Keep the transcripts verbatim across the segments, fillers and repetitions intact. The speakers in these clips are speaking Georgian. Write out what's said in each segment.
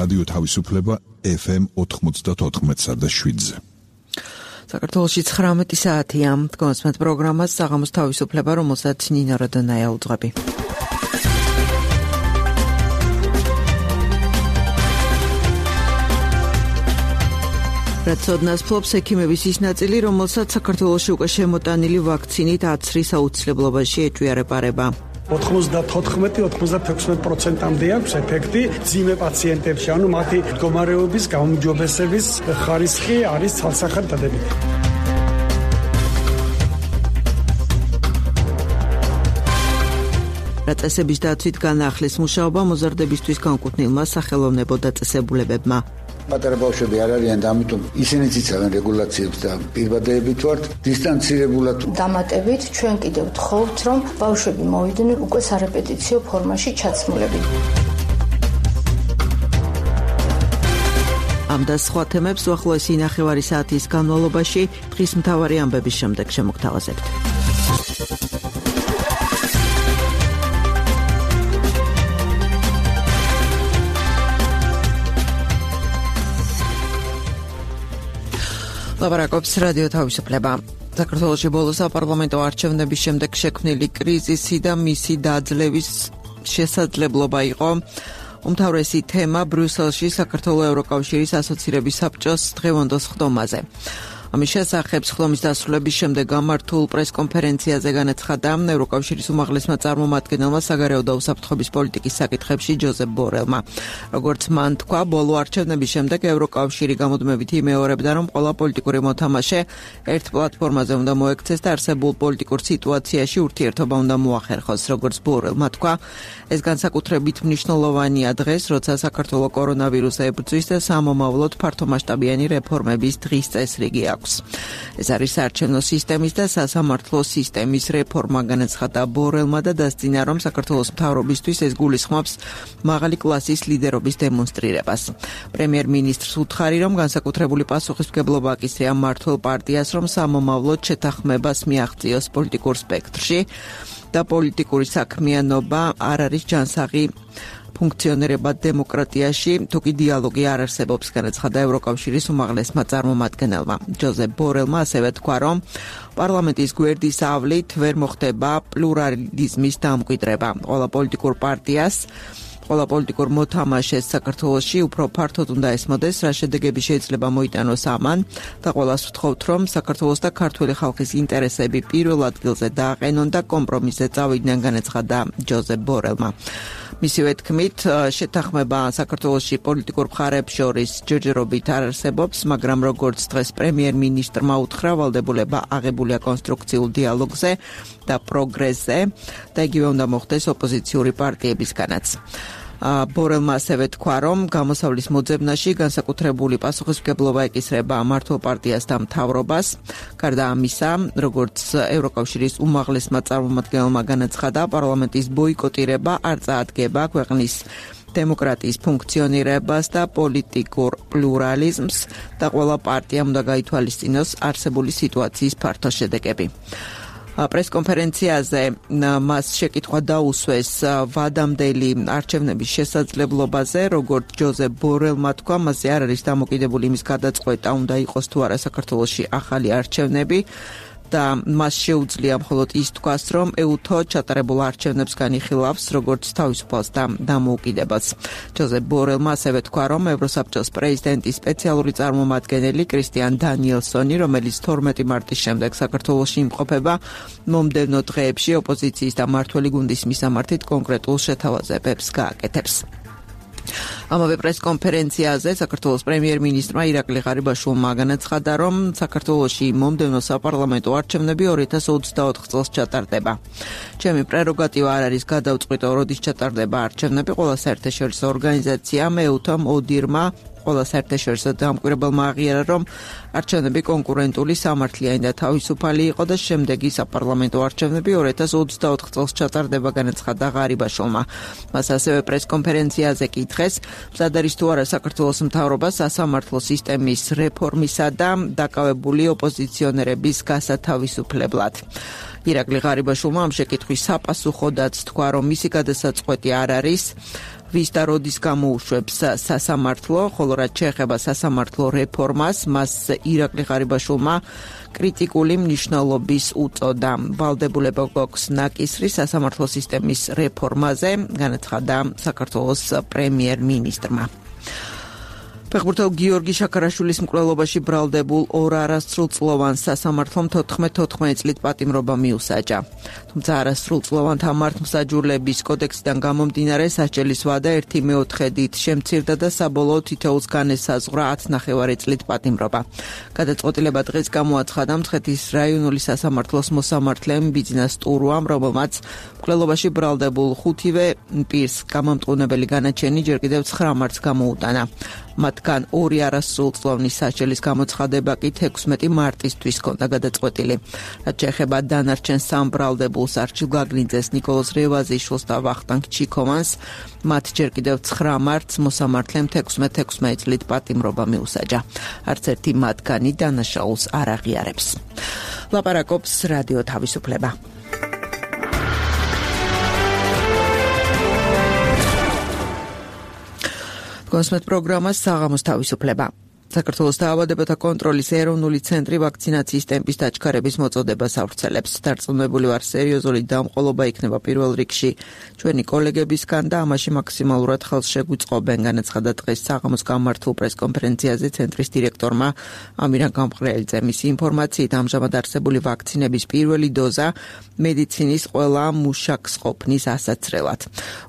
რადიო თავისუფლება ეფ ემ ოთხმოცდაოთხ და შვიდზე. საქართველოში ცხრამეტი საათია. თქვენს პროგრამას საღამოს თავისუფლება, რომელსაც ნინო როდონაია უძღვები. რაც ოდნას ფლობს ექიმების ის ნაწილი, რომელსაც საქართველოში უკვე შემოტანილი ვაქცინით აცრის აუცილებლობაში ეჭვიარება. ოთხმოცდათოთხმეტი ოცდაექვსი პროცენტამდე აქვს ეფექტი ძიმე პაციენტებში, ანუ მათი მდგომარეობის გაუმჯობესების ხარისხი არის ცალსახად დადებითი. დაწესების დაცვით განაახლეს მუშაობა მოზარდებისთვის განკუთვნილმა სახელოვნებო დაწესებულებებმა. პატარა ბავშვები არ არიან და ამიტომ ისინიც იცავენ რეგულაციებს და პირბადეებით ვართ დისტანცირებულად. დამატებით ჩვენ კიდევ ვთხოვთ, რომ ბავშვები მოვიდნენ უკვე სარეპეტიციო ფორმაში ჩაცმულები. ამ და სხვა თემებს უახლოესი ნახევარი საათის განმავლობაში დღის მთავარი ამბების შემდეგ შემოგთავაზებთ. ლაპარაკობს რადიო თავისუფლება. საქართველოში ბოლო საპარლამენტო არჩევნების შემდეგ შექმნილი კრიზისი და მისი დაძლევის შესაძლებლობა იყო უმთავრესი თემა ბრიუსელში საქართველოს ევროკავშირის ასოცირების საბჭოს დღევანდელ ხდომაზე. ამის შესახებ ხდომის დასრულების შემდეგ გამართულ პრესკონფერენციაზე განაცხადა ევროკავშირის უმაღლესმა წარმომადგენელმა საგარეო და უსაფრთხოების პოლიტიკის საკითხებში ჯოზეფ ბორელმა. როგორც მან თქვა, ბოლო არჩევნების შემდეგ ევროკავშირი გამუდმებით იმეორებდა, რომ ყველა პოლიტიკური მოთამაშე ერთ პლატფორმაზე უნდა მოექცეს და არსებულ პოლიტიკურ სიტუაციაში ურთიერთობა უნდა მოახერხოს. როგორც ბორელმა თქვა, ეს განსაკუთრებით მნიშვნელოვანია დღეს, როცა საქართველოს კორონავირუსი ებრძვის და სამომავლოდ ფართომასშტაბიანი რეფორმების დღის წესრიგი აქვს. ეს არის საარჩევნო სისტემის და სასამართლო სისტემის რეფორმა, განაცხადა ბორელმა და დასძინა, რომ საქართველოს მთავრობისთვის ეს გულისხმობს მაღალი კლასის ლიდერობის დემონსტრირებას. პრემიერ-მინისტრს უთხარი, რომ განსაკუთრებული პასუხისმგებლობა აკისრია მმართველ პარტიას, რომ სამომავლოდ შეთანხმებას მიაღწიოს პოლიტიკურ სპექტრში და პოლიტიკური საქმიანობა არ არის ჯანსაღი ფუნქციონირება დემოკრატიაში, თუკი დიალოგი არ არსებობს, განაცხადა ევროკავშირის უმაღლესმა წარმომადგენელმა. ჯოზეფ ბორელმა ასევე თქვა, რომ პარლამენტის გვერდის ავლით ვერ მოხდება პლურალიზმის დამკვიდრება. ყველა პოლიტიკურ პარტიას ყველა პოლიტიკურ მოთამაშეს საქართველოში უფრო ფართოდ უნდა ესმოდეს, რა შედეგები შეიძლება მოიტანოს ამან და ყველას ვთხოვთ, რომ საქართველოს და ქართული ხალხის ინტერესები პირველ ადგილზე დააყენონ და კომპრომისზე წავიდნენ, განაცხადა ჯოზეფ ბორელმა. მისივე თქმით, შეთანხმება საქართველოში პოლიტიკურ მხარეებს შორის ჯერჯერობით არ არსებობს, მაგრამ როგორც დღეს პრემიერ-მინისტრმა უთხრა, ვალდებულება აღებულია კონსტრუქციულ დიალოგზე და პროგრესზე და იგივე უნდა მოხდეს ოპოზიციური პარტიებისგანაც. ბორელმა ასევე თქვა, რომ გამოსავლის მოძებნაში განსაკუთრებული პასუხისმგებლობა ეკისრება მმართველ პარტიას და მთავრობას. გარდა ამისა, როგორც ევროკავშირის უმაღლესმა წარმომადგენელმა განაცხადა, პარლამენტის ბოიკოტირება არ წაადგება ქვეყნის დემოკრატიის ფუნქციონირებას და პოლიტიკურ პლურალიზმს და ყველა პარტიამ უნდა გაითვალისწინოს არსებული სიტუაციის ფართო შედეგები. პრესკონფერენციაზე მას შეკითხვა დაუსვეს ვადამდელი არჩევნების შესაძლებლობაზე, როგორც ჯოზეფ ბორელმა თქვა, მასზე არ არის დამოკიდებული იმის გადაწყვეტა, უნდა იყოს თუ არა საქართველოში ახალი არჩევნები და მას შეუძლია მხოლოდ ის თქვას, რომ ეუთო ჩატარებულ არჩევნებს განიხილავს, როგორც თავისუფალს და დამოუკიდებას. ჯოზეფ ბორელმა ასევე თქვა, რომ ევროსაბჭოს პრეზიდენტის სპეციალური წარმომადგენელი კრისტიან დანიელსონი, რომელიც თორმეტი მარტის შემდეგ საქართველოში იმყოფება, მომდევნო დღეებში ოპოზიციის და მმართველი გუნდის მისამართით კონკრეტულ შეთავაზებებს გააკეთებს. ამავე პრესკონფერენციაზე საქართველოს პრემიერ-მინისტრმა ირაკლი ღარიბაშვილმა განაცხადა, რომ საქართველოში მომდევნო საპარლამენტო არჩევნები ორი ათას ოცდაოთხ წელს ჩატარდება. ჩემი პრეროგატივა არ არის გადავწყვიტო, როდის ჩატარდება არჩევნები, ყველა საერთაშორისო ორგანიზაციამ, ეუთომ, ოდირმა, ყველა საერთაშორისო დამკვირვებელმა აღიარა, რომ არჩევნები კონკურენტული, სამართლიანი და თავისუფალი იყო და შემდეგი საპარლამენტო არჩევნები ორი ათას ოცდაოთხ წელს ჩატარდება, განაცხადა ღარიბაშვილმა. მას ასევე პრესკონფერენციაზე კითხეს, მზად არის თუ არა საქართველოს მთავრობა სასამართლო სისტემის რეფორმისა და დაკავებული ოპოზიციონერების გასათავისუფლებლად. ირაკლი ღარიბაშვილმა ამ შეკითხვის საპასუხოდაც თქვა, რომ მისი გადასაწყვეტი არ არის ვის და როდის გამოუშვებს სასამართლო, ხოლო რაც შეეხება სასამართლო რეფორმას, მას ირაკლი ღარიბაშვილმა კრიტიკული მნიშვნელობის უწოდა. ვალდებულება გვაქვს ნაკისრი სასამართლო სისტემის რეფორმაზე, განაცხადა საქართველოს პრემიერ-მინისტრმა. ფეხბურთელ გიორგი შაქარაშვილის მკვლელობაში ბრალდებულ ორ არასრულწლოვან სასამართლომ თოთხმეტ წლით პატიმრობა მიუსაჯა. თუმცა არასრულწლოვანთა მართლმსაჯულების კოდექსიდან გამომდინარე სასჯელის ვადა ერთი მეოთხედით შემცირდა და საბოლოოდ თითოეულს განესაზღვრა ათი წლით პატიმრობა. გადაწყვეტილება დღეს გამოაცხადა მცხეთის რაიონული სასამართლოს მოსამართლემ ბიძინა სტურუამ, რომელმაც მკვლელობაში ბრალდებულ ხუთივე პირს გამამტყუნებელი განაჩენი ჯერ კიდევ ცხრა მარტს გამოუტანა. მათგან ორი არასრულწლოვანი სასჯელის გამოცხადება კი თექვსმეტი მარტისთვის ჰქონდა გადაწყვეტილი. რაც შეეხება დანარჩენ სამ ბრალდებულს არჩილ გაგნიძეს, ნიკოლოზ რევაზიშვილს და ვახტანგ ჩიქოვანს, მათ ჯერ კიდევ ცხრა მარტს მოსამართლემ თექვსმეტ წლით პატიმრობა მიუსაჯა. არც ერთი მათგანი დანაშაულს არ აღიარებს. ლაპარაკობს რადიო თავისუფლება. კონსმეთ პროგრამა საღამოს თავისუფლება. საქართველოს დაავადებათა კონტროლის ეროვნული ცენტრი ვაქცინაციის ტემპის დაჩქარების მოწოდებას ავრცელებს. დარწმუნებული ვარ, სერიოზული დამყოლობა იქნება პირველ რიგში ჩვენი კოლეგებისგან და ამაში მაქსიმალურად ხელს შეგვიწყობენ, განაცხადა დღეს საღამოს გამართულ პრესკონფერენციაზე ცენტრის დირექტორმა ამირან გამყრელიძე. მისი ინფორმაციით, ამჟამად არსებული ვაქცინების პირველი დოზა მედიცინის ყველა მუშაკს ყოფნის ასაცრელად.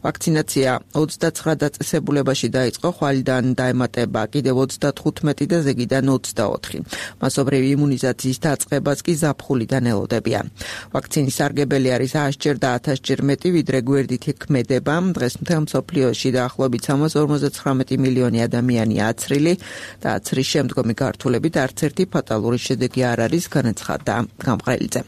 ვაქცინაცია ოცდაცხრა დაწესებულებაში დაიწყო, ხვალიდან დაემატება კიდევ ოცდათხუთმეტი და ზეგიდან ოცდაოთხი. მასობრივი იმუნიზაციის დაწყებას კი ზაფხულიდან ელოდებიან. ვაქცინის სარგებელი არის ათასჯერ და ათასჯერ მეტი, ვიდრე გვერდით ქმედება. დღეს მთელ მსოფლიოში დაახლოებით სამას ორმოცდათხრამეტი მილიონი ადამიანია აცრილი და აცრის შემდგომი გართულებით არც ერთი ფატალური შედეგი არ არის, განაცხადა გამყრელიძე.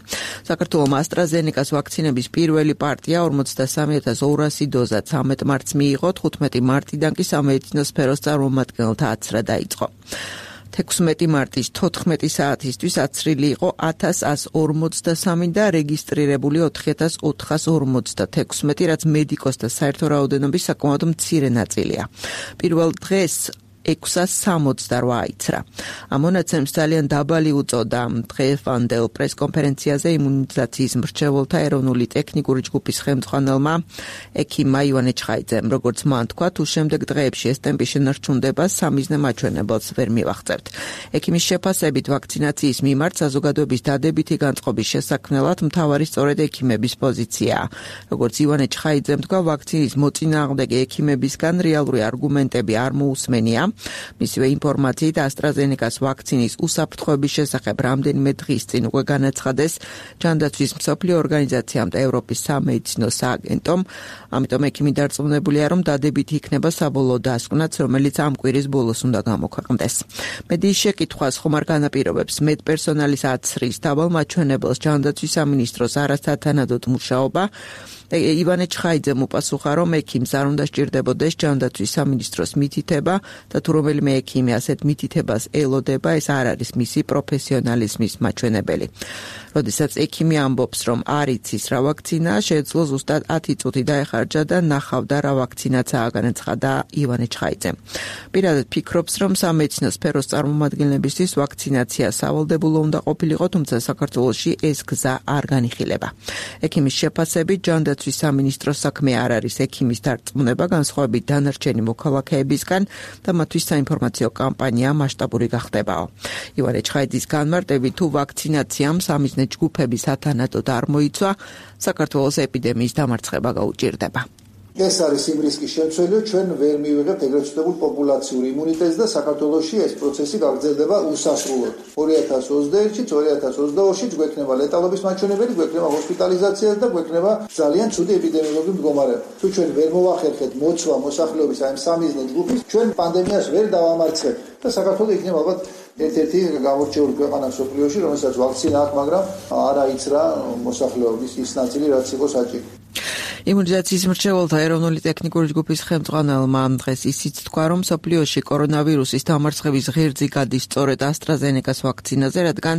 საქართველოს AstraZeneca-ს ვაქცინების პირველი პარტია ორმოცდასამი ათას ორასი დოზა ცამეტ მარტს მიიღო, თხუთმეტი მარტიდან კი სამედიცინო სფეროს წარმომადგენელთა აცრა დაიწყო. თექვსმეტი მარტის თოთხმეტი საათისთვის აცრილი იყო ათას ათას ორმოცდასამი და რეგისტრირებული ოთხი ათას ოთხას ორმოცდათექვსმეტი, რაც მედიკოსთა საერთო რაოდენობის საკმაოდ მცირე ნაწილია. პირველ დღეს ექვსას სამოცდარვა აიცრა. ამ მონაცემს ძალიან დაბალი უწოდა დღევანდელ პრესკონფერენციაზე იმუნიზაციის მრჩეველთა ეროვნული ტექნიკური ჯგუფის ხელმძღვანელმა ექიმმა ივანე ჩხაიძემ. როგორც მან თქვა, თუ შემდეგ დღეებში ეს ტემპი შენარჩუნდება, სამიზნე მაჩვენებელს ვერ მივახცევთ. ექიმის შეფასებით, ვაქცინაციის მიმართ საზოგადოების დადებითი განწყობის შესაქმნელად მთავარი სწორედ ექიმების პოზიციაა. როგორც ივანე ჩხაიძემ თქვა, ვაქცინის მოწინააღმდეგე ექიმებისგან რეალური არგუმენტები არ მოусმენია. მისივე ინფორმაციით, AstraZeneca-ს ვაქცინის უსაფრთხოების შესახებ რამდენიმე დღის წინ უკვე განაცხადეს ჯანდაცვის მსოფლიო ორგანიზაციამ და ევროპის სამედიცინო სააგენტომ. ამიტომ ექიმი დარწმუნებულია, რომ დადებითი იქნება საბოლოო დასკვნაც, რომელიც ამ კვირის ბოლოს უნდა გამოქვეყნდეს. მედიის შეკითხვას ხომ არ განაპირობებს მედპერსონალის აცრის დაბალ მაჩვენებელს ჯანდაცვის სამინისტროს არასათანადოდ მუშაობა. ივანე ჩხაიძემ უპასუხა, რომ ექიმს არ უნდა სჭირდებოდეს ჯანდაცვის სამინისტროს მითითება და თუ რომელიმე ექიმი ასეთ მითითებას ელოდება, ეს არ არის მისი პროფესიონალიზმის მაჩვენებელი. როდესაც ექიმი ამბობს, რომ არ იცის რა ვაქცინაა, შეეძლო ზუსტად ათი წუთი დაეხარჯა და ნახავდა რა ვაქცინაცაა, განაცხადა ივანე ჩხაიძემ. პირადად ფიქრობს, რომ სამედიცინო სფეროს წარმომადგენლებისთვის ვაქცინაცია სავალდებულო უნდა ყოფილიყო, თუმცა საქართველოში ეს გზა არ განიხილება. ექიმის შეფასებით, ჯანდაცვის სამინისტროს საქმე არ არის ექიმის დარწმუნება, განსხვავებით დანარჩენი მოქალაქეებისგან და მათთვის საინფორმაციო კამპანია მასშტაბური გახდებაო. ივანე ჩხაიძის განმარტებით, თუ ვაქცინაციამ სამიზნე ჯგუფების სათანადოდ არ მოიცვა, საქართველოს ეპიდემიის დამარცხება გაუჭირდება. ეს არის იმ რისკის შემცველია, ჩვენ ვერ მივიღებთ ეგრეთ წოდებულ პოპულაციური იმუნიტეტს და საქართველოში ეს პროცესი გაგრძელდება უსასრულოდ. ორი ათას ოცდაერთში, ორი ათას ოცდაოთხში გვექნება ლეტალობის მაჩვენებელი, გვექნება ჰოსპიტალიზაციას და გვექნება ძალიან ცუდი ეპიდემიოლოგიური მდგომარეობა. თუ ჩვენ ვერ მოვახერხეთ მოცვა მოსახლეობის აი ამ სამიზნე ჯგუფის, ჩვენ პანდემიას ვერ დავამარცხებთ და საქართველო იქნება ალბათ ერთ-ერთი გამორჩეული ქვეყანა მსოფლიოში, რომელსაც ვაქცინა აქვს, მაგრამ არ აიცრა მოსახლეობის ის ნაწილი, რაც იყო საჭირო. იმუნიზაციის მრჩეველთა ეროვნული ტექნიკური ჯგუფის ხელმძღვანელმა დღეს ისიც თქვა, რომ მსოფლიოში კორონავირუსის დამარცხების ღერძი გადის სწორედ AstraZeneca-ს ვაქცინაზე, რადგან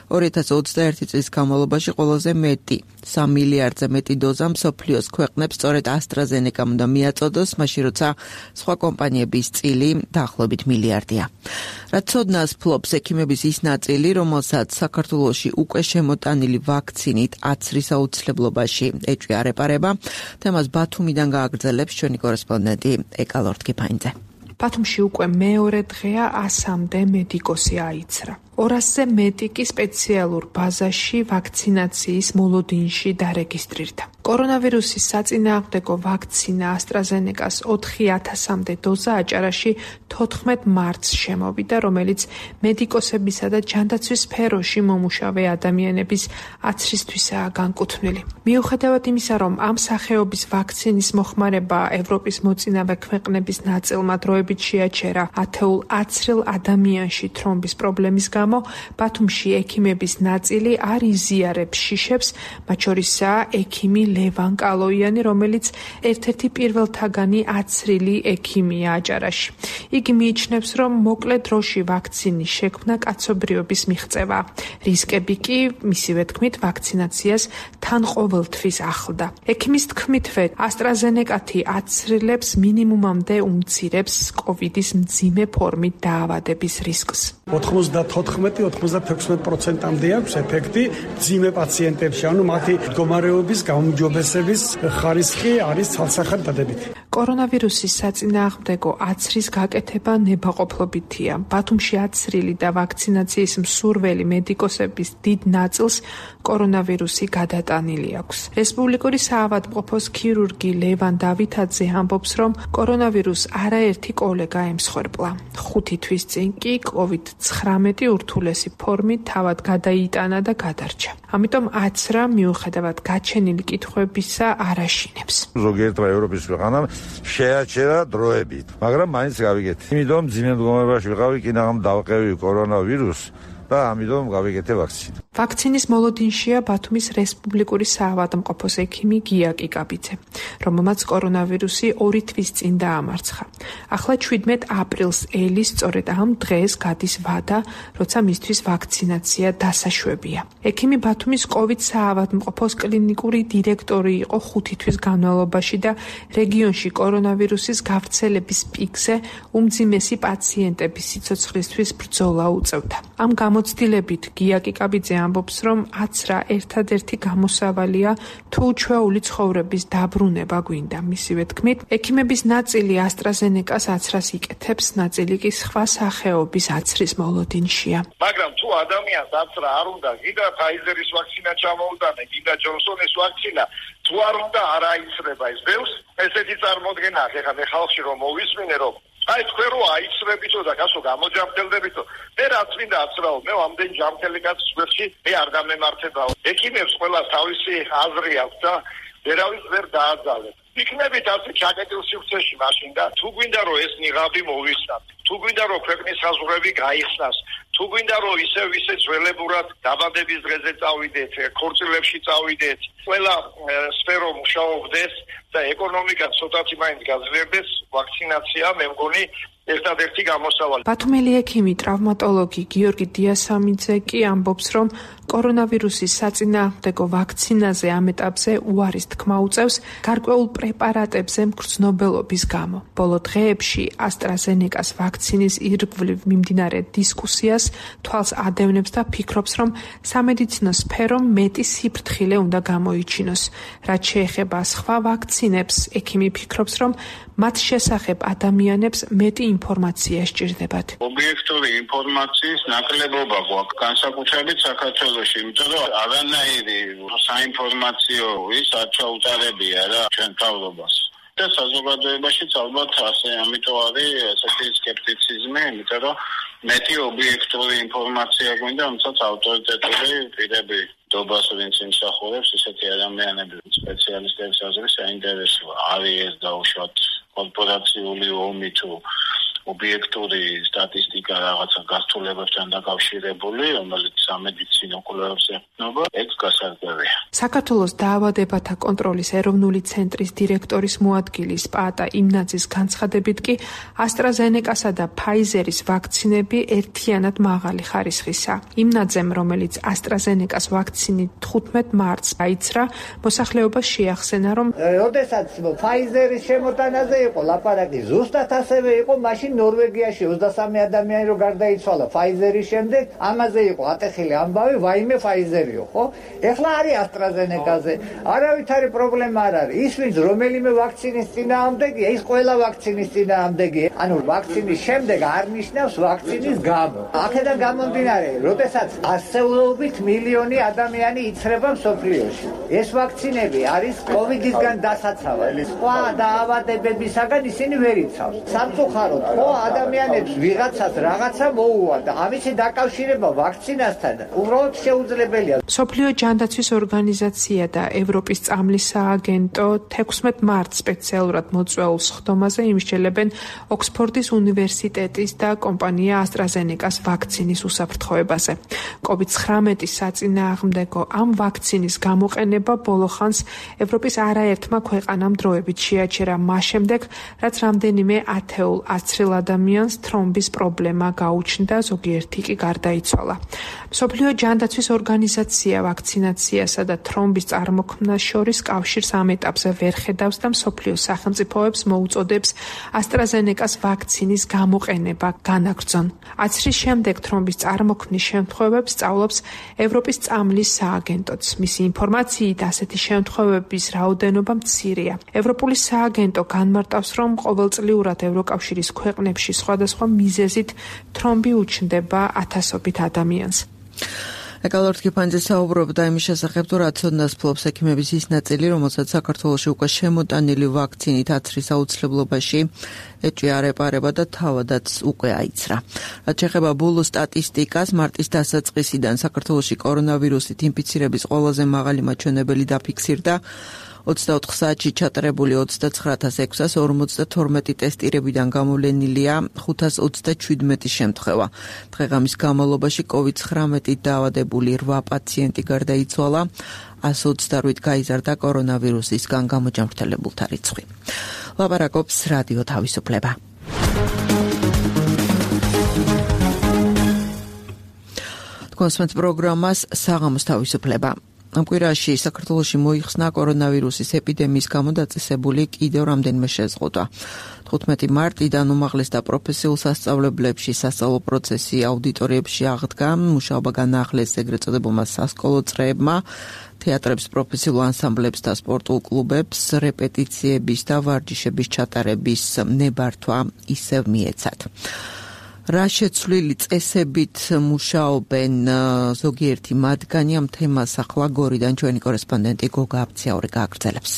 ორი ათას ოცდაერთი წლის განმავლობაში ყველაზე მეტი, სამ მილიარდზე მეტი დოზა მსოფლიოს ქვეყნებს სწორედ AstraZeneca-მ უნდა მიაწოდოს, მაშინ როცა სხვა კომპანიების წილი დაახლოებით მილიარდია. რაც ცოდნას ფლობს ექიმების ის ნაწილი, რომელსაც საქართველოში უკვე შემოტანილი ვაქცინით აცრის აუცილებლობაში ეჭვი არ ეპარება. თემას ბათუმიდან გააგრძელებს ჩვენი კორესპონდენტი ეკა ლორთქიფაინძე. ბათუმში უკვე მეორე დღეა ასამდე მედიკოსი აიცრა. ორასზე მეტი კი სპეციალურ ბაზაში ვაქცინაციის მოლოდინში დარეგისტრირდა. კორონავირუსის საწინააღმდეგო ვაქცინა AstraZeneca-ს ოთხი ათასამდე დოზა აჭარაში თოთხმეტ მარტს შემოვიდა, რომელიც მედიკოსებისა და ჯანდაცვის სფეროში მომუშავე ადამიანების აცრისთვისაა განკუთვნილი. მიუხედავად იმისა, რომ ამ სახეობის ვაქცინის მოხმარება ევროპის მოწინავე ქვეყნების ნაწილმა დროებით შეაჩერა ათეულ აცრილ ადამიანში თრომბის პრობლემის გამო, ბათუმში ექიმების ნაწილი არ იზიარებს შიშებს, მათ შორისაა ექიმი ლევან კალოიანი, რომელიც ერთ-ერთი პირველთაგანი აცრილი ექიმია აჭარაში. იგი მიიჩნევს, რომ მოკლე დროში ვაქცინის შექმნა კაცობრიობის მიღწევა. რისკები კი, მისივე თქმით, ვაქცინაციას თან ყოველთვის ახლდა. ექიმის თქმითვე, AstraZeneca-თი აცრილებს მინიმუმამდე უმცირებს კოვიდის მძიმე ფორმით დაავადების რისკს. ოთხმოცდათოთხმეტი ოცდაექვსი პროცენტამდე აქვს ეფექტი მძიმე პაციენტებში, ანუ მათი მდგომარეობის გაუმჯობესების ხარისხი არის ცალსახად დადებითი. კორონავირუსის საწინააღმდეგო აცრის გაკეთება ნებაყოფლობითია. ბათუმში აცრილი და ვაქცინაციის მსურველი მედიკოსების დიდ ნაწილს კორონავირუსი გადატანილი აქვს. რესპუბლიკური საავადმყოფოს ქირურგი ლევან დავითაძე ამბობს, რომ კორონავირუსს არაერთი კოლეგა ემსხვერპლა. ხუთი თვის წინ კი კოვიდ ცხრამეტი ურთულესი ფორმით თავად გადაიტანა და გადარჩა. ამიტომ აცრა მიუხედავად გაჩენილი კითხვებისა არ აშინებს. ზოგიერთმა ევროპის ქვეყანამ შეაჩერა დროებით, მაგრამ მაინც გავიგეთ. იმიტომ მძიმე მდგომარეობაში ვიყავი, კინაღამ დავყევი კორონავირუსს და ამიტომ გავიგეთე ვაქცინა. ვაქცინის მოლოდინშია ბათუმის რესპუბლიკური საავადმყოფოს ექიმი გია კიკაბიძე, რომელმაც კორონავირუსი ორი თვის წინ დაამარცხა. ახლა ჩვიდმეტ აპრილს ელის სწორედ ამ დღეს გადის ვადა, როცა მისთვის ვაქცინაცია დასაშვებია. ექიმი ბათუმის კოვიდ საავადმყოფოს კლინიკური დირექტორი იყო ხუთი თვის განმავლობაში და რეგიონში კორონავირუსის გავრცელების პიკზე უმძიმესი პაციენტების სიცოცხლისთვის ბრძოლა უწევდა. ამ გამოცდილებით გია კიკაბიძე ამბობს, რომ აცრა ერთადერთი გამოსავალია თუ ჩვეული ცხოვრების დაბრუნება გვინდა. მისივე თქმით, ექიმების ნაწილი AstraZeneca-ს აცრას იკეთებს, ნაწილი კი სხვა სახეობის აცრის მოლოდინშია. მაგრამ თუ ადამიანს აცრა არ უნდა, გიდა Pfizer-ის ვაქცინა ჩამოუტანე, გიდა Johnson-ის ვაქცინა, თუ არ უნდა არ აიცრება ეს ბევრს, ესეთი წარმოდგენა აქვს. ეხლა მე ხალხში რომ მოვისმინე, რომ აი თქვენ რო აიცრებითო და გასო გამოჯამთელდებითო, მე რაც მინდა აცრაო, მე ამდენ ჯამთელი კაცის გვერდში მე არ გამემართებაო. ექიმებს ყველას თავისი აზრი აქვს და ვერავის ვერ დააძალებს. იქნებით ასე ჩაკეტილ სივრცეში მაშინ და თუ გვინდა რომ ეს ნიღაბი მოვისნათ, თუ გვინდა რომ ქვეყნის საზღვრები გაიხსნას, თუ გვინდა რომ ისევ ისე ძველებურად დაბადების დღეზე წავიდეთ, ქორწილებში წავიდეთ, ყველა სფერო მუშაობდეს და ეკონომიკა ცოტათი მაინც გაძლიერდეს, ვაქცინაცია მე მგონი ერთადერთი გამოსავალი. ბათუმელი ექიმი ტრავმატოლოგი გიორგი დიასამიძე კი ამბობს, რომ კორონავირუსის საწინააღმდეგო ვაქცინაზე ამ ეტაპზე უარის თქმა უწევს გარკვეულ პრეპარატებზე მგრძნობელობის გამო. ბოლო დღეებში AstraZeneca-ს ვაქცინის ირგვლივ მიმდინარე დისკუსიას თვალს ადევნებს და ფიქრობს, რომ სამედიცინო სფერომ მეტი სიფრთხილე უნდა გამოიჩინოს. რაც შეეხება სხვა ვაქცინებს, ექიმი ფიქრობს, რომ მათ შესახებ ადამიანებს მეტი ინფორმაცია სჭირდებათ. ობიექტური ინფორმაციის ნაკლებობა გვაქვს განსაკუთრებით საქართველოში, იმიტომ რომ არანაირი საინფორმაციო ის არ ჩაუტარებია რა ჩვენ თავრობას. და საზოგადოებაშიც ალბათ ასე ამიტომ არის ესეთი სკეპტიციზმი, იმიტომ რომ მეტი ობიექტური ინფორმაცია გვინდა, რომელსაც ავტორიტეტული პირები დობას ვინც იმსახურებს, ისეთი ადამიანები სპეციალისტების აზრით საინტერესოა. არის ეს დაუშვათ კორპორაციული ომი თუ ობიექტური სტატისტიკა რაღაცა გასთულებებთან დაკავშირებული, რომელიც სამედიცინო კვლევებს ეხება, ეგ გასარკვევია. საქართველოს დაავადებათა კონტროლის ეროვნული ცენტრის დირექტორის მოადგილის პაატა იმნაძის განცხადებით კი AstraZeneca-სა და Pfizer-ის ვაქცინები ერთიანად მაღალი ხარისხისა. იმნაძემ, რომელიც AstraZeneca-ს ვაქცინით თხუთმეტ მარტს გაიცრა, მოსახლეობას შეახსენა, რომ როდესაც Pfizer-ის შემოტანაზე იყო ლაპარაკი, ზუსტად ასევე იყო მაშინ ნორვეგიაში ოცდასამი ადამიანი რო გარდაიცვალა Pfizer-ის შემდეგ, ამაზე იყო ატეხილი ამბავი, ვაიმე Pfizer-იო, ხო? ეხლა არის AstraZeneca-ზე. არავითარი პრობლემა არ არის. ის ვინც რომელიმე ვაქცინის წინააღმდეგია, ის ყველა ვაქცინის წინააღმდეგია. ანუ ვაქცინის შემდეგ არ ნიშნავს ვაქცინის გამო. აქედან გამომდინარე, როდესაც ასეულობით მილიონი ადამიანი იცრება მსოფლიოში. ეს ვაქცინები არის კოვიდისგან დასაცავად. სხვა დაავადებებისაგან ისინი ვერ იცავს. სამწუხაროდ, ხო ადამიანებს ვიღაცას რაღაცა მოუვა და ამისი დაკავშირება ვაქცინასთან უბრალოდ შეუძლებელია. მსოფლიო ჯანდაცვის ორგანიზაცია და ევროპის წამლის სააგენტო თექვსმეტ მარტს სპეციალურად მოწვეულ სხდომაზე იმსჯელებენ ოქსფორდის უნივერსიტეტის და კომპანია AstraZeneca-ს ვაქცინის უსაფრთხოებაზე. კოვიდ ცხრამეტის საწინააღმდეგო ამ ვაქცინის გამოყენება ბოლოხანს ევროპის არაერთმა ქვეყანამ დროებით შეაჩერა მას შემდეგ, რაც რამდენიმე ათეულ აცრილ ადამიანს თრომბის პრობლემა გაუჩნდა, ზოგიერთი კი გარდაიცვალა. მსოფლიო ჯანდაცვის ორგანიზაცია ვაქცინაციასა და თრომბის წარმოქმნას შორის კავშირს ამ ეტაპზე ვერ ხედავს და მსოფლიო სახელმწიფოებს მოუწოდებს AstraZeneca-ს ვაქცინის გამოყენება განაგრძონ. აცრის შემდეგ თრომბის წარმოქმნის შემთხვევებს სწავლობს ევროპის წამლის სააგენტოც. მისი ინფორმაციით ასეთი შემთხვევების რაოდენობა მცირეა. ევროპული სააგენტო განმარტავს, რომ ყოველწლიურად ევროკავშირის ქვეყნებში სხვადასხვა მიზეზით თრომბი უჩნდება ათასობით ადამიანს. ეკალორდ კიფანძე საუბრობდა იმის შესახებ, თუ რა ცოდნას ფლობს ექიმების ის ნაწილი, რომელსაც საქართველოში უკვე შემოტანილი ვაქცინით აცრის აუცილებლობაში ეჭვი არ ეპარება და თავადაც უკვე აიცრა. რაც შეეხება ბოლო სტატისტიკას, მარტის დასაწყისიდან საქართველოში კორონავირუსით ინფიცირების ყველაზე მაღალი მაჩვენებელი დაფიქსირდა. ოცდაოთხ საათში ჩატარებული ოცდაცხრა ათას ექვსას ორმოცდათორმეტი ტესტირებიდან გამოვლენილია ხუთას ოცდაჩვიდმეტი შემთხვევა. დღეღამის განმავლობაში კოვიდ ცხრამეტით დაავადებული რვა პაციენტი გარდაიცვალა, ასი ოცდაოთხ გაიზარდა კორონავირუსისგან გამოჯანმრთელებულთა რიცხვი. ლაპარაკობს რადიო თავისუფლება. თქვენს პროგრამას საღამოს თავისუფლება. ამ კვირაში საქართველოში მოიხსნა კორონავირუსის ეპიდემიის გამო დაწესებული კიდევ რამდენიმე შეზღუდვა. თხუთმეტი მარტიდან უმაღლეს და პროფესიულ სასწავლებლებში სასწავლო პროცესი აუდიტორიებში აღდგა, მუშაობა განაახლეს ეგრეთ წოდებულმა სასკოლო წრეებმა, თეატრებს, პროფესიულ ანსამბლებს და სპორტულ კლუბებს რეპეტიციების და ვარჯიშების ჩატარების ნებართვა ისევ მიეცათ. რა შეცვლილი წესებით მუშაობენ ზოგიერთი მათგანი, ამ თემას ახლა გორიდან ჩვენი კორესპონდენტი გოგა აბციაური გააგრძელებს.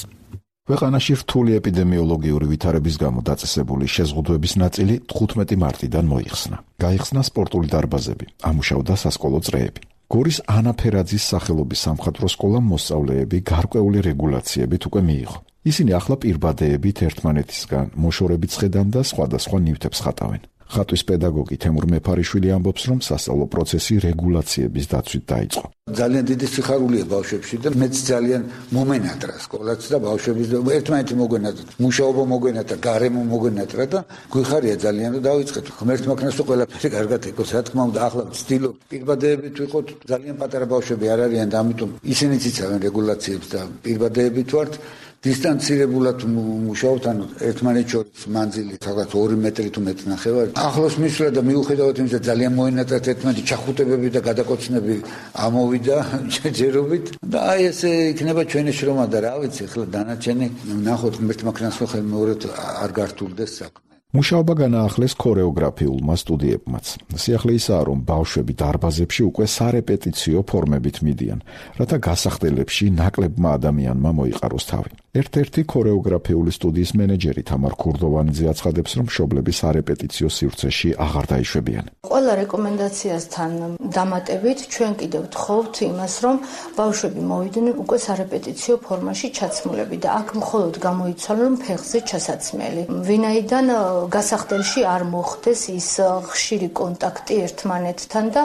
ქვეყანაში რთული ეპიდემიოლოგიური ვითარების გამო დაწესებული შეზღუდვების ნაწილი თხუთმეტი მარტიდან მოიხსნა. გაიხსნა სპორტული დარბაზები, ამუშავდა სასკოლო წრეები. გორის ანა ფერაძის სახელობის სამხატვრო სკოლამ მოსწავლეები გარკვეული რეგულაციებით უკვე მიიღო. ისინი ახლა პირბადეებით ერთმანეთისგან მოშორებით ხედან და სხვადასხვა ნივთებს ხატავენ. ხატვის პედაგოგი თემურ მეფარიშვილი ამბობს, რომ სასწავლო პროცესი რეგულაციების დაცვით დაიწყო. ძალიან დიდი სიხარულია ბავშვებში და მეც ძალიან მომენატრა სკოლაც და ბავშვების ერთმანეთი მოგვენატრა, მუშაობა მოგვენატრა, გარემო მოგვენატრა და გვიხარია ძალიან და დავიწყეთ. ღმერთმა ქნას ყველაფერი კარგად ეკოს, რა თქმა უნდა, ახლა ვცდილობ პირბადეებით ვიყოთ, ძალიან პატარა ბავშვები არ არიან და ამიტომ ისინიც იცავენ რეგულაციებს და პირბადეებით ვართ. დისტანცირებულად მუშაობთ, ანუ ერთმანეთს შორის მანძილი რაღაც ორი მეტრი თუ მეტ ნახევარი. ახლოს მისვლა და მიუხედავად იმისა, ძალიან მოენატრათ ერთმანეთი ჩახუტებები და გადაკოცნები ამოვიდა ჯერობით და აი ესე იქნება ჩვენი შრომა და რა ვიცი, ახლა დანარჩენი ნახოთ ღმერთმა ქნას ხელ მეორედ არ გართულდეს საქმე. მუშაობა განაახლეს ქორეოგრაფიულმა სტუდიებმაც. სიახლე ისაა, რომ ბავშვები დარბაზებში უკვე სარეპეტიციო ფორმებით მიდიან, რათა გასახდელებში ნაკლებმა ადამიანმა მოიყაროს თავი. ერთ-ერთი ქორეოგრაფიული სტუდიის მენეჯერი თამარ ქურდოვანიძე აცხადებს, რომ მშობლები სარეპეტიციო სივრცეში აღარ დაიშვებიან. ყველა რეკომენდაციასთან დამატებით ჩვენ კიდევ ვთხოვთ იმას, რომ ბავშვები მოვიდნენ უკვე სარეპეტიციო ფორმაში ჩაცმულები და აქ მხოლოდ გამოიცვალონ ფეხზე ჩასაცმელი. ვინაიდან გასახდელში არ მოხდეს ის ხშირი კონტაქტი ერთმანეთთან და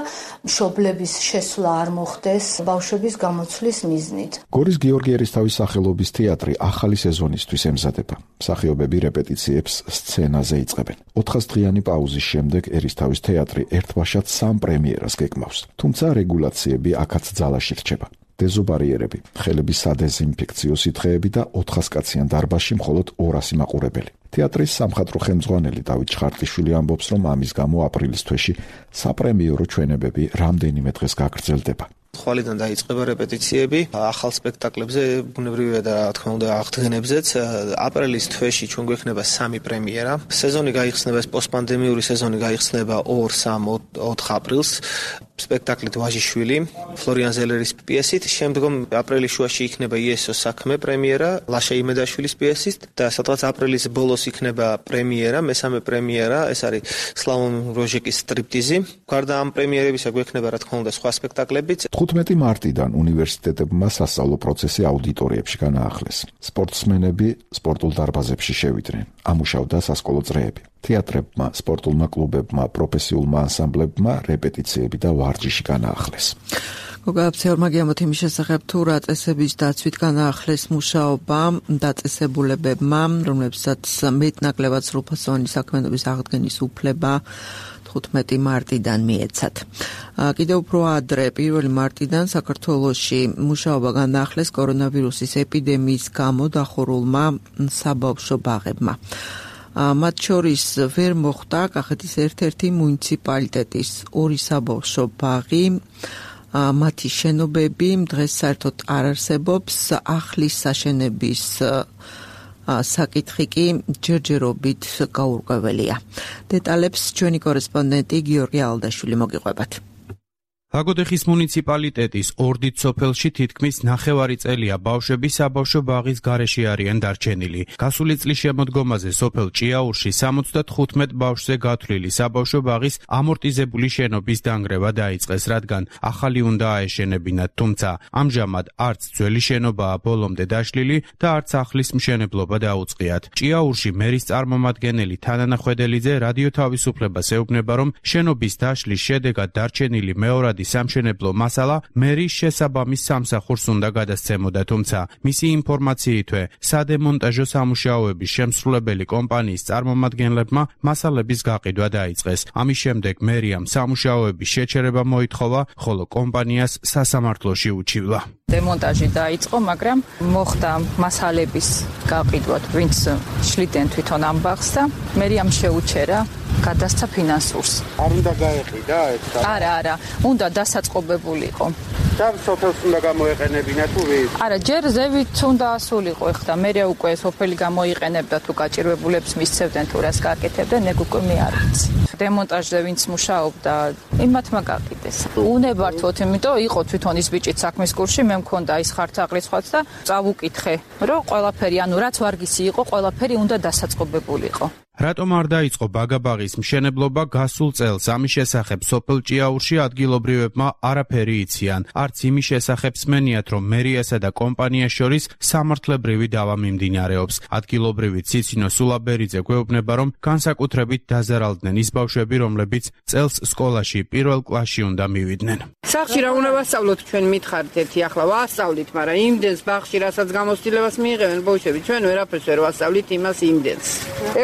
მშობლების შესვლა არ მოხდეს ბავშვების გამოცვლის მიზნით. გორის გიორგი ერისთავის სახელობის თეატრი ახალი სეზონისთვის ემზადება. მსახიობები რეპეტიციებს სცენაზე იწყებენ. ოთხასდღიანი პაუზის შემდეგ ერისთავის თეატრი ერთბაშად სამ პრემიერას გეკმავს. თუმცა რეგულაციები აქაც ძალაში რჩება. დეზობარიერები, ხელების სადეზინფექციო სითხეები და ოთხასკაციან დარბაზში მხოლოდ ორასი მაყურებელი. თეატრის სამხატვრო ხელმძღვანელი დავით ჩხარტიშვილი ამბობს, რომ ამის გამო აპრილის თვეში საპრემიერო ჩვენებები რამდენიმე დღეს გაგრძელდება. ხვალიდან დაიწყება რეპეტიციები, ახალ სპექტაკლებზე, ბუნებრივია და რა თქმა უნდა აღდგენებზეც. აპრილის თვეში ჩვენ გვექნება სამი პრემიერა. სეზონი გაიხსნება, ეს პოსტპანდემიური სეზონი გაიხსნება ორ სამ ოთხ აპრილს. სპექტაკლით ვაჟიშვილი, ფლორიან ზელერის პიესით, შემდგომ აპრილის შუაში იქნება იესოს საქმე პრემიერა, ლაშა იმედაშვილის პიესით და სადღაც აპრილის ბოლოს იქნება პრემიერა, მესამე პრემიერა, ეს არის სლავონ როჟეკის სტრიპტიზი. გარდა ამ პრემიერებისა გვექნება რა თქმა უნდა სხვა სპექტაკლებიც. თხუთმეტი მარტიდან უნივერსიტეტებმა სასწავლო პროცესი აუდიტორიებში განაახლეს. სპორტსმენები სპორტულ დარბაზებში შევიდნენ. ამუშავდა სასკოლო წრეები. თეატრებმა, სპორტულმა კლუბებმა, პროფესიულმა ანსამბლებმა რეპეტიციები და ვარჯიში განაახლეს. გოგააფციორმა გიამოთ იმის შესახებ, თუ რა წესების დაცვით განაახლეს მუშაობა დაწესებულებებმა, რომლებსაც მეტნაკლებად სრულფასოვანი საქმიანობის აღდგენის უფლება თხუთმეტი მარტიდან მიეცათ. კიდევ უფრო ადრე, პირველი მარტიდან საქართველოში მუშაობა განაახლეს კორონავირუსის ეპიდემიის გამო დახურულმა საბავშვო ბაღებმა. მათ შორის ვერ მოხდა კახეთის ერთ-ერთი მუნიციპალიტეტის ორი საბავშვო ბაღი, მათი შენობები დღეს საერთოდ არ არსებობს, ახლის საშენების საკითხი კი ჯერჯერობით გაურკვეველია. დეტალებს ჩვენი კორესპონდენტი გიორგი ალდაშვილი მოგიყვებათ. აგოდეხის მუნიციპალიტეტის ორდით სოფელში თითქმის ნახევარი წელია ბავშვები საბავშვო ბაღის გარეშე არიან დარჩენილი. გასული წლის შემოდგომაზე სოფელ ჭიაურში სამოცდათხუთმეტ ბავშვზე გათვლილი საბავშვო ბაღის ამორტიზებული შენობის დანგრევა დაიწყეს, რადგან ახალი უნდა აეშენებინათ, თუმცა ამჟამად არც ძველი შენობაა ბოლომდე დაშლილი და არც ახლის მშენებლობა დაუწყიათ. ჭიაურში მერის წარმომადგენელი თანანახვედელიძე რადიო თავისუფლებას ეუბნება, რომ შენობის დაშლის შედეგად დარჩენილი მეორადი სამშენებლო მასალა მერის შესაბამის სამსახურს უნდა გადასცემოდა, თუმცა მისი ინფორმაციითვე სადემონტაჟო სამუშაოების შემსრულებელი კომპანიის წარმომადგენლებმა მასალების გაყიდვა დაიწყეს. ამის შემდეგ მერიამ სამუშაოების შეჩერება მოითხოვა, ხოლო კომპანიას სასამართლოში უჩივლა. დემონტაჟი დაიწყო, მაგრამ მოხდა მასალების გაყიდვა, ვინც შლიდნენ თვითონ ამ ბაღს და მერიამ შეუჩერა გადასცა ფინანსურს. არ უნდა გაეყიდა ეს? არა, არა, უნდა დასაწყობებულიყო. და სოფელს უნდა გამოეყენებინა თუ ვინ? არა, ჯერ ზევით უნდა ასულიყო, ეხლა მერე უკვე სოფელი გამოიყენებდა თუ გაჭირვებულებს მისცევდნენ თუ რას გააკეთებდნენ, ეგ უკვე მე არ ვიცი. დემონტაჟზე ვინც მუშაობდა, იმათმა გაყიდეს. უნებართვოთ, იმიტომ იყო თვითონ ის ბიჭიც საქმის კურსში, მე მქონდა ის ხართაღრიცხვაც და წავუკითხე, რომ ყველაფერი, ანუ რაც ვარგისი იყო, ყველაფერი უნდა დასაწყობებულიყო. რატომ არ დაიწყო ბაგაბაღის მშენებლობა გასულ წელს? ამის შესახებ სოფელ ჭიაურში ადგილობრივებმა არაფერი იციან. არც იმის შესახებ სმენიათ, რომ მერიასა და კომპანიას შორის სამართლებრივი დავა მიმდინარეობს. ადგილობრივი ციცინო სულაბერიძე გვეუბნება, რომ განსაკუთრებით დაზარალდნენ ის ბავშვები, რომლებიც წელს სკოლაში პირველ კლასში უნდა მივიდნენ. სახში რა უნდა ვასწავლოთ ჩვენ მითხარით ერთი ახლა ვასწავლით, მაგრამ იმდენს ბაღში რასაც გამოცდილებას მიიღებენ ბავშვები, ჩვენ ვერაფერს ვერ ვასწავლით იმას იმდენს.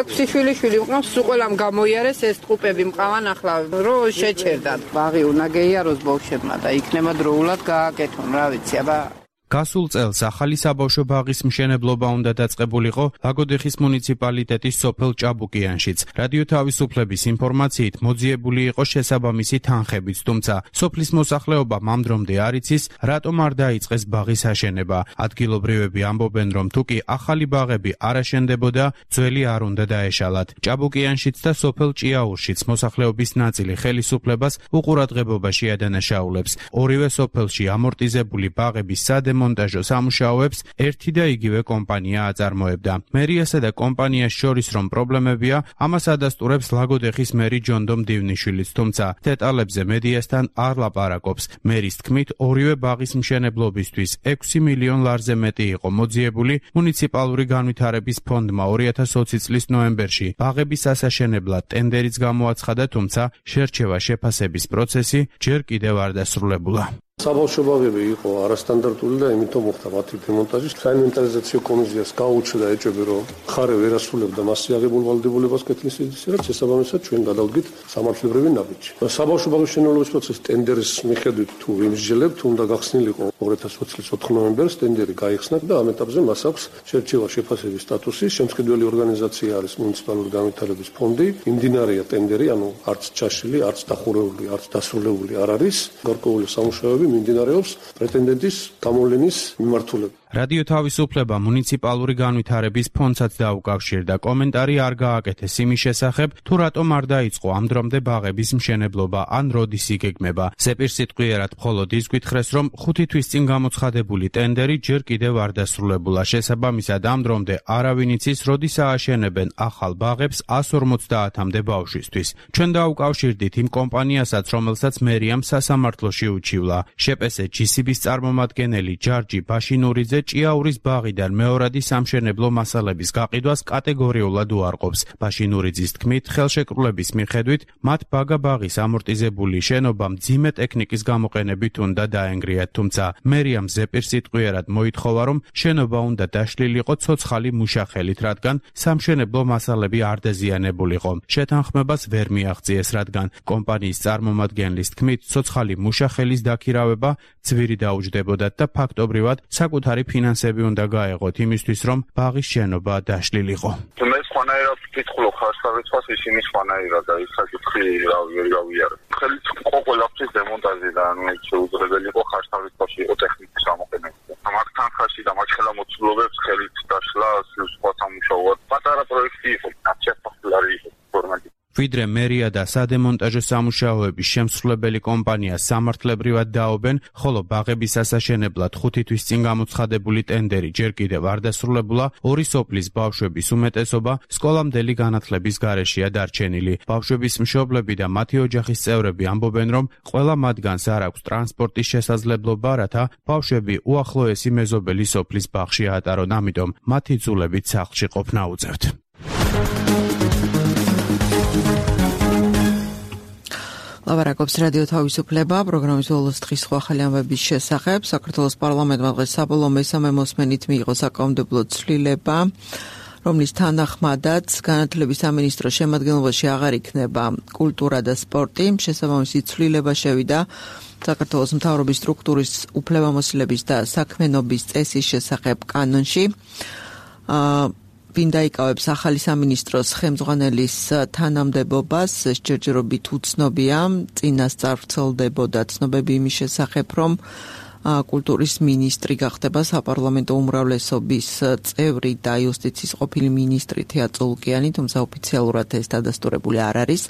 ექვსი შვილი მყავს, სულ ყველამ გამოიარეს ეს ტყუპები მყავან ახლა, რომ შეჩერდათ. ბაღი უნდა გეიაროს ბავშვებმა და იქნება დროულად გააკეთონ, რა ვიცი, აბა. გასულ წელს ახალი საბავშვო ბაღის მშენებლობა უნდა დაწყებულიყო ლაგოდეხის მუნიციპალიტეტის სოფელ ჭაბუკიანშიც. რადიო თავისუფლების ინფორმაციით მოძიებული იყო შესაბამისი თანხებიც, თუმცა სოფლის მოსახლეობა მამდრომდე არ იცის, რატომ არ დაიწყეს ბაღის აშენება. ადგილობრივები ამბობენ, რომ თუკი ახალი ბაღები არ აშენდებოდა, ძველი არ უნდა დაეშალათ. ჭაბუკიანშიც და სოფელ ჭიაურშიც მოსახლეობის ნაწილი ხელისუფლებას უყურადღებობაში ადანაშაულებს. ორივე სოფელში ამორტიზებული ბაღების სადემონტაჟო სადემონტაჟო სამუშაოებს ერთი და იგივე კომპანია აწარმოებდა. მერიასა და კომპანიას შორის რომ პრობლემებია, ამას ადასტურებს ლაგოდეხის მერი ჯონდომ დივნიშვილიც, თუმცა დეტალებზე მედიასთან არ ლაპარაკობს. მერის თქმით, ორივე ბაღის მშენებლობისთვის ექვსი მილიონ ლარზე მეტი იყო მოძიებული მუნიციპალური განვითარების ფონდმა ორი ათას ოცი წლის ნოემბერში. ბაღების ასაშენებლად ტენდერიც გამოაცხადა, თუმცა შერჩევა შეფასების პროცესი ჯერ კიდევ არ დასრულებულა. საბავშვო ბაღები იყო არასტანდარტული და იმითომ მოხდა მათი დემონტაჟი. საინვენტარიზაციო კომისიას გაუჩნდა ეჭვები, რომ ხარე ვერ ასრულებდა მასზე აღებულ ვალდებულებას კეთილ სიდიდეზე, რაც შესაბამისად ჩვენ გადავდგით სამართლებრივი ნაბიჯი. საბავშვო ბაღის მშენებლობის პროცესის ტენდერის მიხედვით თუ ვიმსჯელებთ, უნდა გახსნილიყო ორი ათას ოცი წლის ოთხ ნოემბერს ტენდერი გაიხსნა და ამ ეტაპზე მას აქვს შერჩევა შეფასების სტატუსი. შემსყიდველი ორგანიზაცია არის მუნიციპალური განვითარების ფონდი. იმდინარეა ტენდერი, ანუ არც ჩაშლილი, არც დახურეული, არც დასრულებული არ არის. გარკვეული სამუშაოები მიმდინარეობს პრეტენდენტის გამოვლენის მიმართულებით. რადიო თავისუფლება მუნიციპალური განვითარების ფონდსაც დაუკავშირდა. კომენტარი არ გააკეთეს იმის შესახებ, თუ რატომ არ დაიწყო ამ დრომდე ბაღების მშენებლობა ან როდის იგეგმება. ზეპირსიტყვიერად მხოლოდ ის გითხრეს, რომ ხუთი თვის წინ გამოცხადებული ტენდერი ჯერ კიდევ არ დასრულებულა. შესაბამისად ამ დრომდე არავინ იცის, როდის ააშენებენ ახალ ბაღებს ას ორმოცდაათამდე ბავშვისთვის. ჩვენ დაუკავშირდით იმ კომპანიასაც, რომელსაც მერიამ სასამართლოში უჩივლა. შეპესე ჯი სი ბის წარმომადგენელი ჯარჯი ბაშინურიძე ჭიაურის ბაღიდან მეორადი სამშენებლო მასალების გაყიდვას კატეგორიულად უარყოფს. ბაშინურიძის თქმით, ხელშეკრულების მიხედვით მათ ბაგა ბაღის ამორტიზებული შენობა მძიმე ტექნიკის გამოყენებით უნდა დაენგრიათ, თუმცა მერიამ ზეპირსიტყვიერად მოითხოვა, რომ შენობა უნდა დაშლილიყო ცოცხალი მუშახელით, რადგან სამშენებლო მასალები არ დაზიანებულიყო. შეთანხმებას ვერ მიაღწიეს, რადგან კომპანიის წარმომადგენლის თქმით, ცოცხალი მუშახელის დაქირავება ძვირი დაუჯდებოდათ და ფაქტობრივად საკუთარი ფინანსები უნდა გაეღოთ იმისთვის, რომ ბაღის შენობა დაშლილიყო. მე სხვანაირად ვკითხულობ ხარშხალისას, ისინი სხვანაირად და ის საკითხი ვერ გავიარებ. ხელით ყოველთვის დემონტაჟი და ანუ ეს შეუძლებელი იყო ხარშხალისაში იყო ტექნიკის გამოყენება. მათ თანხაში და მათ ხელამოცულობებს ხელით დაშლა სხვა სამუშაოად პატარა პროექტი იყო, ნაციონალური იყო ფორმატი. ვიდრე მერია და სადემონტაჟო სამუშაოების შემსრულებელი კომპანია სამართლებრივად დაობენ, ხოლო ბაღების ასაშენებლად ხუთი თვის წინ გამოცხადებული ტენდერი ჯერ კიდევ არ დასრულებულა, ორი სოფლის ბავშვების უმეტესობა სკოლამდელი განათლების გარეშეა დარჩენილი. ბავშვების მშობლები და მათი ოჯახის წევრები ამბობენ, რომ ყველა მათგანს არ აქვს ტრანსპორტის შესაძლებლობა, რათა ბავშვები უახლოესი მეზობელი სოფლის ბაღში აატარონ, ამიტომ მათი ძულებით სახლში ყოფნა უწევთ. ლაპარაკობს რადიო თავისუფლება, პროგრამის ბოლოს დღის სხვა ახალი ამბების შესახებ. საქართველოს პარლამენტმა დღეს საბოლოო მესამე მოსმენით მიიღო საკანონმდებლო ცვლილება, რომლის თანახმადაც განათლების სამინისტროს შემადგენლობაში აღარ იქნება კულტურა და სპორტი. შესაბამისი ცვლილება შევიდა საქართველოს მთავრობის სტრუქტურის უფლებამოსილების და საქმიანობის წესის შესახებ კანონში. ვინ დაიკავებს ახალი სამინისტროს ხელმძღვანელის თანამდებობას, ჯერჯერობით უცნობია. წინასწარ ვრცელდებოდა ცნობები იმის შესახებ, რომ კულტურის მინისტრი გახდება საპარლამენტო უმრავლესობის წევრი და იუსტიციის ყოფილი მინისტრი თეა წულკიანი, თუმცა ოფიციალურად ეს დადასტურებული არ არის.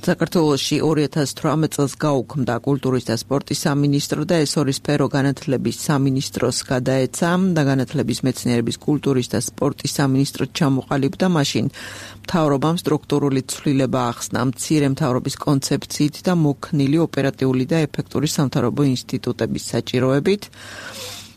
საქართველოში ორი ათას თვრამეტ წელს გაუქმდა კულტურის და სპორტის სამინისტრო და ეს ორი სფერო განათლების სამინისტროს გადაეცა და განათლების მეცნიერების კულტურის და სპორტის სამინისტროს ჩამოყალიბდა. მაშინ მთავრობამ სტრუქტურული ცვლილება ახსნა მცირე მთავრობის კონცეფციით და მოქნილი ოპერატიული და ეფექტური სამთავრობო ინსტიტუტების საჭიროებით.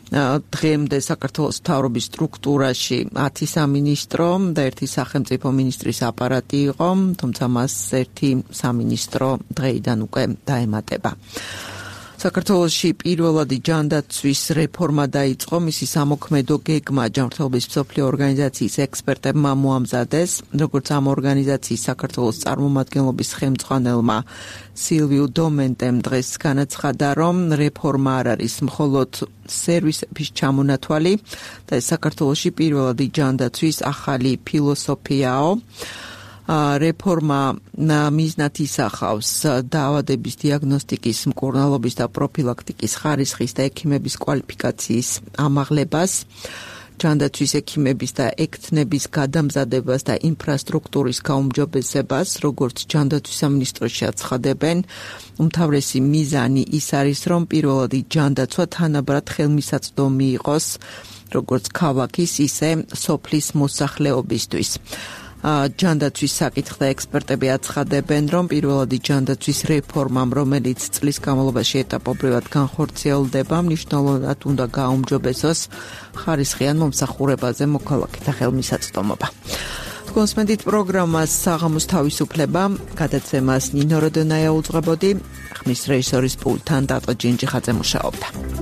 დღემდე საქართველოს მთავრობის სტრუქტურაში ათი სამინისტრო და ერთი სახელმწიფო მინისტრის აპარატი იყო, თუმცა მას ერთი სამინისტრო დღეიდან უკვე დაემატება. საქართველოში პირველადი ჯანდაცვის რეფორმა დაიწყო, მისი სამოქმედო გეგმა ჯანმრთელობის მსოფლიო ორგანიზაციის ექსპერტებმა მოამზადეს, როგორც ამ ორგანიზაციის საქართველოს წარმომადგენლობის ხელმძღვანელმა სილვიუ დომენტემ დღეს განაცხადა, რომ რეფორმა არ არის მხოლოდ სერვისების ჩამონათვალი და ეს საქართველოში პირველადი ჯანდაცვის ახალი ფილოსოფიაო. რეფორმა მიზნად ისახავს დაავადების დიაგნოსტიკის, მკურნალობის და პროფილაქტიკის ხარისხის და ექიმების კვალიფიკაციის ამაღლებას. ჯანდაცვის ექიმების და ექთნების გადამზადებას და ინფრასტრუქტურის გაუმჯობესებას, როგორც ჯანდაცვის სამინისტროში აცხადებენ, უმთავრესი მიზანი ის არის, რომ პირველადი ჯანდაცვა თანაბრად ხელმისაწვდომი იყოს, როგორც ქალაქის, ისე სოფლის მოსახლეობისთვის. ჯანდაცვის საკითხთა ექსპერტები აცხადებენ, რომ პირველადი ჯანდაცვის რეფორმამ, რომელიც წლის განმავლობაში ეტაპობრივად განხორციელდება, მნიშვნელოვნად უნდა გაუმჯობესოს ხარისხიან მომსახურებაზე მოქალაქეთა ხელმისაწვდომობა. კონსმენდით პროგრამას საღამოს თავისუფლება, გადაცემას ნინო როდონაია უძღვებოდი, ხმის რეჟისორის პულტთან დატო ჯინჯიხაძე მუშაობდა.